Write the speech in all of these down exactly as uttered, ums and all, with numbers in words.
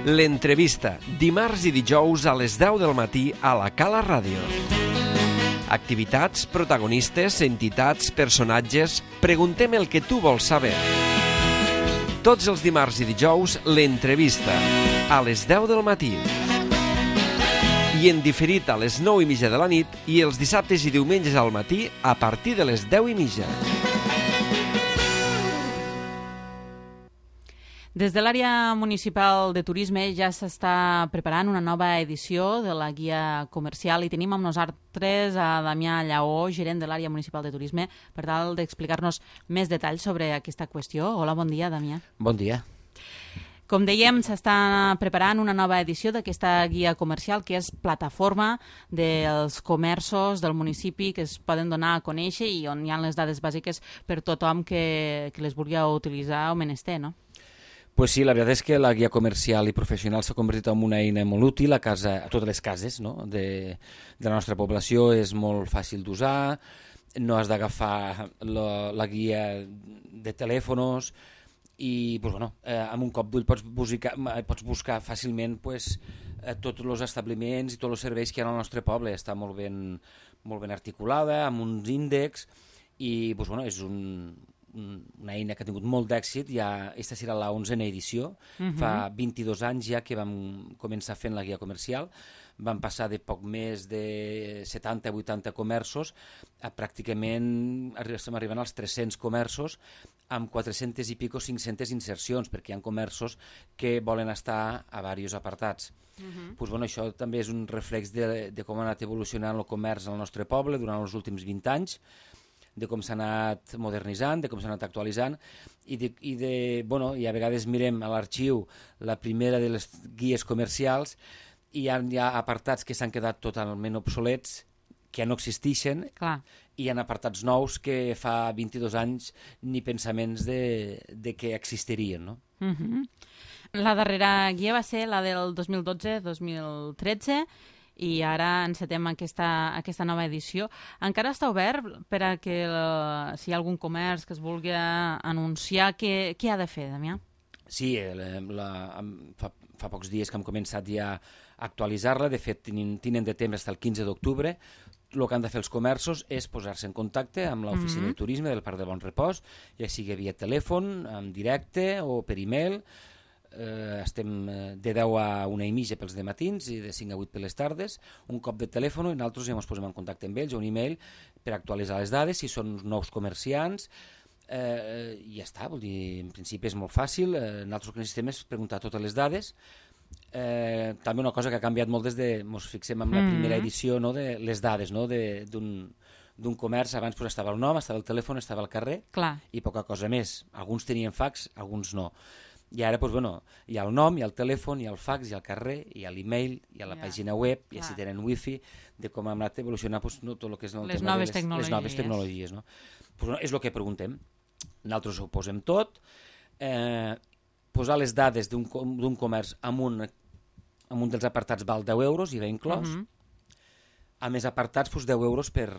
L'entrevista, dimarts i dijous a les deu del matí a la Cala Ràdio. Activitats, protagonistes, entitats, personatges... Preguntem el que tu vols saber. Tots els dimarts i dijous, l'entrevista, a les deu del matí. I en diferit a les nou i mitja de la nit i els dissabtes i diumenges al matí a partir de les deu i mitja. Des de l'àrea municipal de turisme ja s'està preparant una nova edició de la guia comercial i tenim amb nosaltres a Damià Lleó, gerent de l'àrea municipal de turisme, per tal d'explicar-nos més detalls sobre aquesta qüestió. Hola, bon dia, Damià. Bon dia. Com dèiem, s'està preparant una nova edició d'aquesta guia comercial que és plataforma dels comerços del municipi que es poden donar a conèixer i on hi ha les dades bàsiques per tothom que, que les vulgui utilitzar o menester, no? Pues sí, la veritat és que la guia comercial i professional s'ha convertit en una eina molt útil a, casa, a totes les cases, no? de, de la nostra població. És molt fàcil d'usar, no has d'agafar la, la guia de telèfons i pues, bueno, eh, amb un cop d'ull pots buscar, pots buscar fàcilment pues, eh, tots els establiments i tots els serveis que hi ha al nostre poble. Està molt ben, molt ben articulada, amb uns índexs i pues, bueno, és un... una eina que ha tingut molt d'èxit. Ja, aquesta serà la onzena edició. Uh-huh. Fa vint-i-dos anys ja que vam començar fent la guia comercial. Vam passar de poc més de setanta a vuitanta comerços a pràcticament estem arribant als tres-cents comerços amb quatre-centes i pico cinc-centes insercions, perquè hi ha comerços que volen estar a diversos apartats. Uh-huh. Pues, bueno, això també és un reflex de, de com ha anat evolucionant el comerç al nostre poble durant els últims vint anys, de com s'ha anat modernitzant, de com s'ha anat actualitzant i, de, i, de, bueno, i a vegades mirem a l'arxiu la primera de les guies comercials i hi ha, hi ha apartats que s'han quedat totalment obsolets, que ja no existeixen. Clar. I hi ha apartats nous que fa vint-i-dos anys ni pensaments de, de que existirien, no? Uh-huh. La darrera guia va ser la del dos mil dotze dos mil tretze i ara encetem aquesta, aquesta nova edició. Encara està obert per a que la, si hi ha algun comerç que es vulgui anunciar, què, què ha de fer, Damià? Sí, la, la, fa, fa pocs dies que hem començat ja a actualitzar-la. De fet, tenen, tenen de temps fins al quinze d'octubre. El que han de fer els comerços és posar-se en contacte amb l'oficina mm-hmm. de turisme del Parc de Bon Repòs, ja sigui via telèfon, en directe o per e-mail. Uh, estem de deu a una i mitja pels dematins i de cinc a vuit per les tardes, un cop de telèfon i nosaltres ja ens posem en contacte amb ells o un e-mail per actualitzar les dades, si són nous comerciants, uh, i ja està, vol dir, en principi és molt fàcil. Uh, nosaltres el que necessitem és preguntar totes les dades. Uh, també una cosa que ha canviat molt des de, ens fixem en la mm-hmm. primera edició, no, de les dades, no, de, d'un, d'un comerç. Abans pues, estava el nom, estava el telèfon, estava el carrer. Clar. I poca cosa més. Alguns tenien fax, alguns no. I ara, doncs, bueno, hi ha el nom, hi ha el telèfon, hi ha el fax, hi ha el carrer, hi ha l'e-mail, hi ha la yeah. pàgina web, i si tenen wifi, de com ha anat evolucionant pues, no, tot el que és el les tema noves de les, les noves tecnologies. No? Pues, bueno, és el que preguntem. Nosaltres ho posem tot. Eh, posar les dades d'un, d'un comerç amb un, amb un dels apartats val deu euros, i va inclòs. Uh-huh. A més apartats, pues, deu euros per...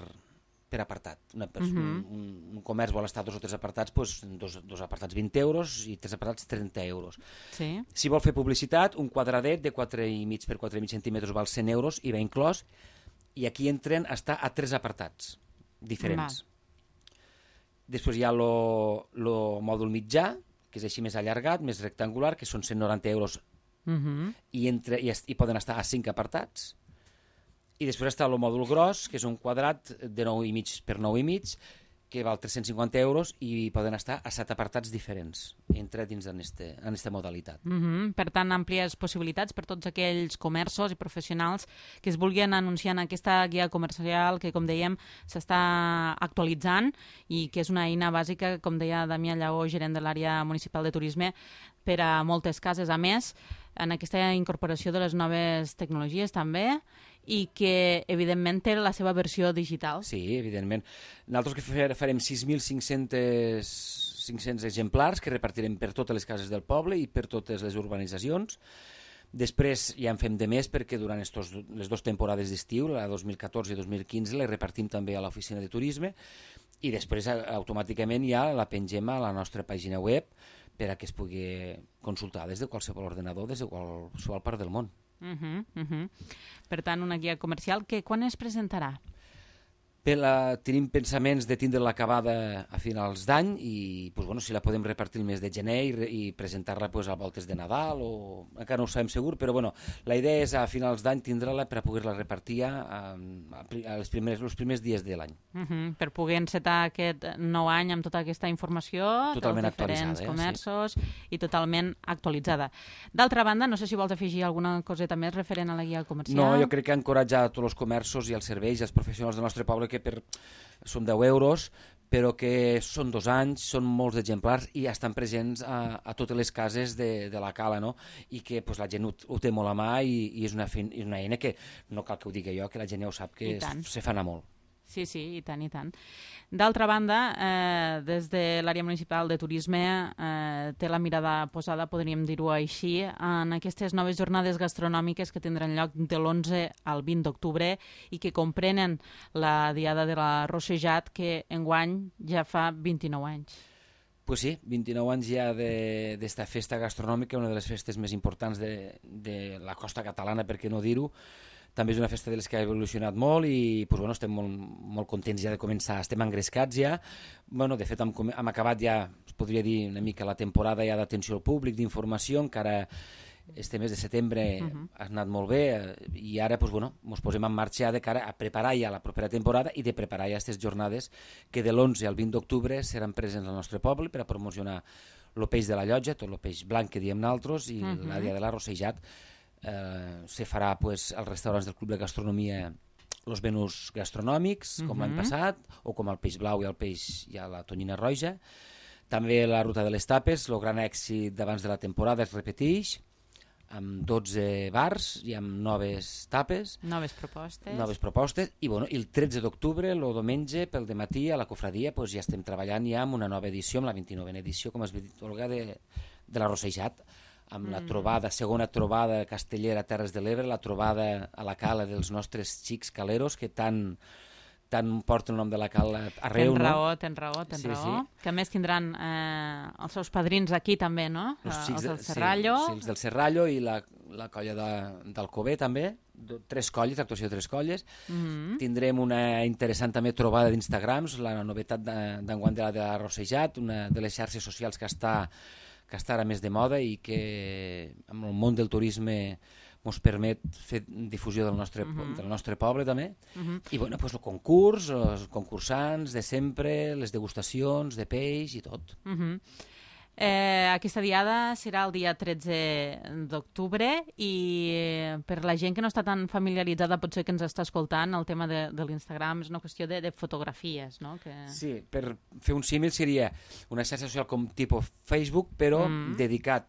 per apartat. Una persona, uh-huh. un, un comerç vol estar dos o tres apartats, doncs dos, dos apartats vint euros i tres apartats trenta euros. Sí. Si vol fer publicitat, un quadradet de quatre i mig per quatre i mig centímetres val cent euros i va inclòs, i aquí entren a estar a tres apartats diferents. Val. Després hi ha el mòdul mitjà, que és així més allargat, més rectangular, que són cent noranta euros, uh-huh. i, entre, i, i poden estar a cinc apartats. I després està el mòdul gros, que és un quadrat de nou i mig per nou i mig, que val tres-cents cinquanta euros i poden estar a set apartats diferents, entre dins en aquesta modalitat. Mm-hmm. Per tant, àmplies possibilitats per tots aquells comerços i professionals que es vulguin anunciar en aquesta guia comercial que, com dèiem, s'està actualitzant i que és una eina bàsica, com deia Damià Lleó, gerent de l'àrea municipal de turisme, per a moltes cases. A més, en aquesta incorporació de les noves tecnologies també, i que, evidentment, té la seva versió digital. Sí, evidentment. Nosaltres que farem sis mil cinc-cents exemplars que repartirem per totes les cases del poble i per totes les urbanitzacions. Després ja en fem de més perquè durant estos, les dues temporades d'estiu, la dos mil catorze i dos mil quinze, les repartim també a l'oficina de turisme i després automàticament ja la pengem a la nostra pàgina web per a que es pugui consultar des de qualsevol ordenador, des de qualsevol part del món. Uh -huh, uh -huh. Per tant, una guia comercial que quan es presentarà? Per la, tenim pensaments de tindre-la acabada a finals d'any i pues, bueno, si la podem repartir el mes de gener i, i presentar-la pues, a voltes de Nadal o encara no ho sabem segur, però bueno, la idea és a finals d'any tindre-la per a poder-la repartir a, a les primers, els primers dies de l'any. Uh -huh. Per poder encetar aquest nou any amb tota aquesta informació totalment dels diferents eh? comerços sí. i totalment actualitzada. D'altra banda, no sé si vols afegir alguna coseta més referent a la guia comercial. No, jo crec que encoratjar tots els comerços i els serveis i els professionals del nostre poble que per, són deu euros, però que són dos anys, són molts exemplars i estan presents a, a totes les cases de, de la cala, no? I que pues, la gent ho, ho té molt a mà i, i és, una feina, és una eina que no cal que ho digui jo, que la gent ja ho sap, que es, se fa anar molt. Sí, sí, i tant, i tant. D'altra banda, eh, des de l'àrea municipal de turisme eh, té la mirada posada, podríem dir-ho així, en aquestes noves jornades gastronòmiques que tindran lloc de l'onze al vint d'octubre i que comprenen la Diada de la Rossejat, que enguany ja fa vint-i-nou anys. Pues sí, vint-i-nou anys ja d'esta festa gastronòmica, una de les festes més importants de, de la costa catalana, per què no dir-ho. També és una festa de les que ha evolucionat molt i pues, bueno, estem molt, molt contents ja de començar, estem engrescats ja. Bueno, de fet, hem, hem acabat ja, es podria dir una mica, la temporada ja d'atenció al públic, d'informació, encara este mes de setembre uh -huh. ha anat molt bé i ara pues, bueno, ens posem en marxa de cara a preparar ja la propera temporada i de preparar ja aquestes jornades que de l'onze al vint d'octubre seran presents al nostre poble per a promocionar el peix de la llotja, tot el peix blanc que diem nosaltres i uh -huh. la Dia de la Rossejat. Eh, se farà pues, als restaurants del Club de Gastronomia els menús gastronòmics, com uh -huh. l'any passat, o com el peix blau i el peix i la tonyina roja. També la ruta de les tapes, el gran èxit d'abans de la temporada es repeteix, amb dotze bars i amb noves tapes. Noves propostes. Noves propostes. I, bueno, i el tretze d'octubre, el diumenge, pel dematí, a la cofradia, pues, ja estem treballant ja amb una nova edició, amb la vint-i-novena edició, com es dit, Olga, de, de la Rossejat, amb la trobada, segona trobada castellera a Terres de l'Ebre, la trobada a la cala dels nostres xics caleros, que tant, tant porten el nom de la cala arreu. Tens raó, no? tens raó, tens sí, raó. Sí. Que a més tindran eh, els seus padrins aquí també, no? Els, els xics del de, Serrallo. Sí, sí, els del Serrallo i la, la colla de, d'Alcover també, tres colles, actuació de tres colles. Mm -hmm. Tindrem una interessant també trobada d'Instagrams, la novetat d'enguany de, de la Rossejat, una de les xarxes socials que està que està ara més de moda i que amb el món del turisme ens permet fer difusió del nostre, uh -huh. del nostre poble també. Uh -huh. I bueno, pues, el concurs, els concursants de sempre, les degustacions de peix i tot. Uh -huh. Eh, aquesta diada serà el dia tretze d'octubre i per la gent que no està tan familiaritzada, potser que ens està escoltant, el tema de, de l'Instagram és una qüestió de, de fotografies, no? Que... Sí, per fer un símil seria una xarxa social com tipus Facebook, però mm. dedicat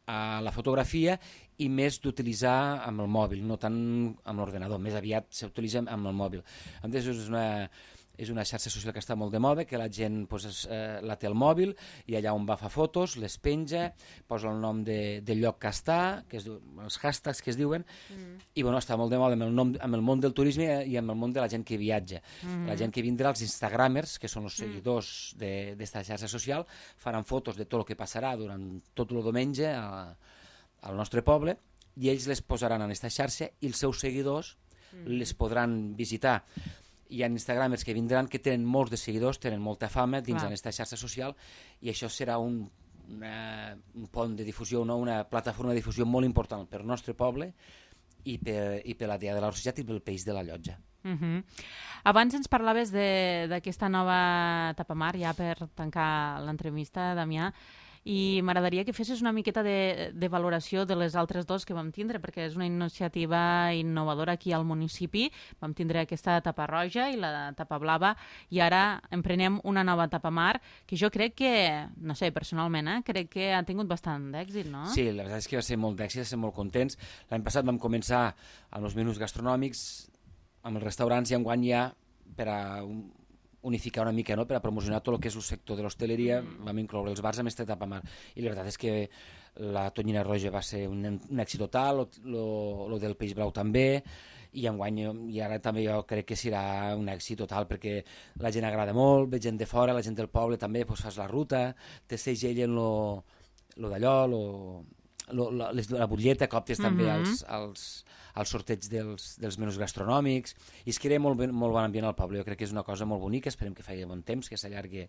a la fotografia i més d'utilitzar amb el mòbil, no tant amb l'ordenador, més aviat s'utilitza amb el mòbil. A més, és una... és una xarxa social que està molt de moda, que la gent pues, eh, la té al mòbil i allà on va fa fotos, les penja, posa el nom de, del lloc que està, que es diu, els hashtags que es diuen, mm. i bueno, està molt de moda amb el, nom, amb el món del turisme i amb el món de la gent que viatja. Mm. La gent que vindrà, els instagramers, que són els seguidors mm. d'esta xarxa social, faran fotos de tot el que passarà durant tot el diumenge a, al nostre poble i ells les posaran en aquesta xarxa i els seus seguidors mm. les podran visitar. Hi ha instagramers que vindran que tenen molts de seguidors, tenen molta fama dins d'aquesta xarxa social i això serà un, una, un pont de difusió, no? Una plataforma de difusió molt important per al nostre poble i per, i per la Diada de la Rossejat i pel peix de la llotja. Uh -huh. Abans ens parlaves d'aquesta nova Tapamar, ja per tancar l'entrevista, Damià, i m'agradaria que fessis una miqueta de, de valoració de les altres dos que vam tindre, perquè és una iniciativa innovadora aquí al municipi. Vam tindre aquesta tapa roja i la tapa blava, i ara emprenem una nova Tapamar, que jo crec que, no sé, personalment, eh, crec que ha tingut bastant d'èxit, no? Sí, la veritat és que va ser molt d'èxit, va ser molt contents. L'any passat vam començar amb els menús gastronòmics, amb els restaurants, i enguany ja per a un, unificar una mica, no? Per a promocionar tot el que és el sector de l'hostaleria, mm. vam incloure els bars amb aquesta Tapamar. I la veritat és que la tonyina roja va ser un, un èxit total, el del peix blau també, i enguany, i ara també jo crec que serà un èxit total, perquè la gent agrada molt, ve gent de fora, la gent del poble també, doncs fas la ruta, te segellen lo, lo d'allò, lo, lo, la, les, la butlleta, que optes també Mhm. als, als, als sorteig dels, dels menús gastronòmics, i es crea molt, ben- molt bon ambient al poble. Jo crec que és una cosa molt bonica, esperem que faci bon temps, que s'allargui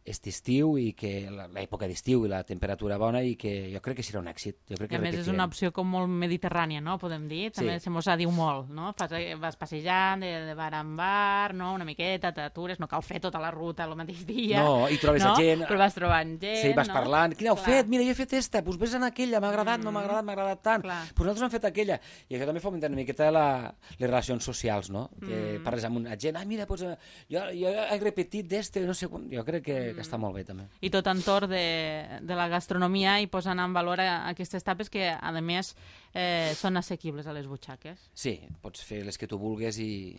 aquest estiu i que la- l'època d'estiu i la temperatura bona, i que jo crec que serà un èxit. Jo crec I que a més és repetirem. una opció com molt mediterrània, no? Podem dir. També Sí. se mos diu molt, no? Fas, vas passejant de, de bar en bar, no? Una miqueta, t'atures, no cal fer tota la ruta el mateix dia. No, i trobes no? a gent... Però vas trobant gent, Sí, vas no? parlant. Quina heu Clar. fet? Mira, jo he fet esta. Doncs vés en aquella. M'ha agradat, no m'ha agradat, m'ha agradat tant. Clar. Doncs nosaltres hem fet aquella. I això també fomenta una miqueta la, les relacions socials, no? Que Mm. parles amb una gent. Ah, mira, doncs, eh, jo, jo he repetit d'este, no sé com... Jo crec que, que està molt bé, també. I tot entorn de, de la gastronomia i posant en valor a, aquestes tapes que, a més, eh, són assequibles a les butxaques. Sí, pots fer les que tu vulgues i,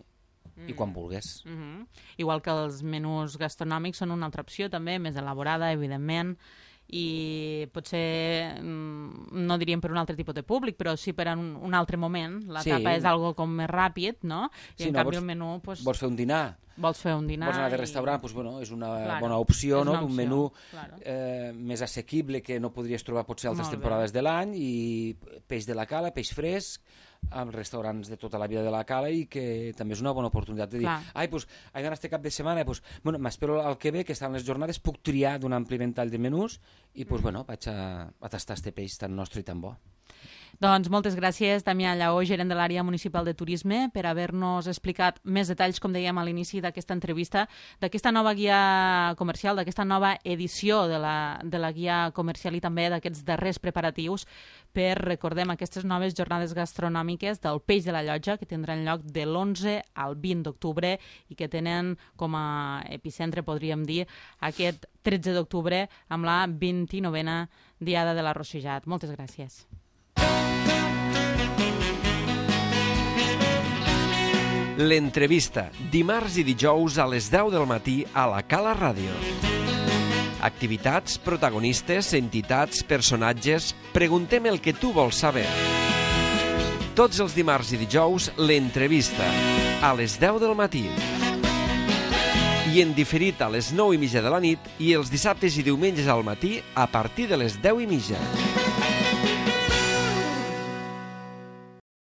i quan vulgues. Mm -hmm. Igual que els menús gastronòmics són una altra opció, també, més elaborada, evidentment, i potser, mm, no diríem per un altre tipus de públic, però sí per un, un altre moment. La Sí. tapa és algo com més ràpid, no? I Sí, en no, canvi vols- el menú... Pues, Vols fer un dinar? vols fer un dinar... Vols anar de i- restaurant? Doncs, bueno, és una Claro, bona opció, és no? una D'un opció, menú claro. eh, més assequible que no podries trobar potser altres Molt bé. temporades de l'any, i peix de la cala, peix fresc, als restaurants de tota la vida de la cala, i que també és una bona oportunitat de dir, Clar. ai, doncs, he d'anar este cap de setmana, doncs, bueno, m'espero al que ve, que estan les jornades, puc triar d'un ampli ventall de menús, i doncs, bueno, vaig a, a tastar este peix tan nostre i tan bo. Doncs moltes gràcies, Damià Lleó, gerent de l'àrea municipal de turisme, per haver-nos explicat més detalls, com dèiem a l'inici d'aquesta entrevista, d'aquesta nova guia comercial, d'aquesta nova edició de la, de la guia comercial, i també d'aquests darrers preparatius per, recordem, aquestes noves jornades gastronòmiques del Peix de la Llotja, que tindran lloc de l'onze al vint d'octubre i que tenen com a epicentre, podríem dir, aquest tretze d'octubre amb la vint-i-novena Diada de l'Arrossejat. Moltes gràcies. L'entrevista, dimarts i dijous a les deu del matí a la Cala Ràdio. Activitats, protagonistes, entitats, personatges... Preguntem el que tu vols saber. Tots els dimarts i dijous, l'entrevista, a les deu del matí. I en diferit a les nou i mitja de la nit, i els dissabtes i diumenges al matí a partir de les deu i mitja.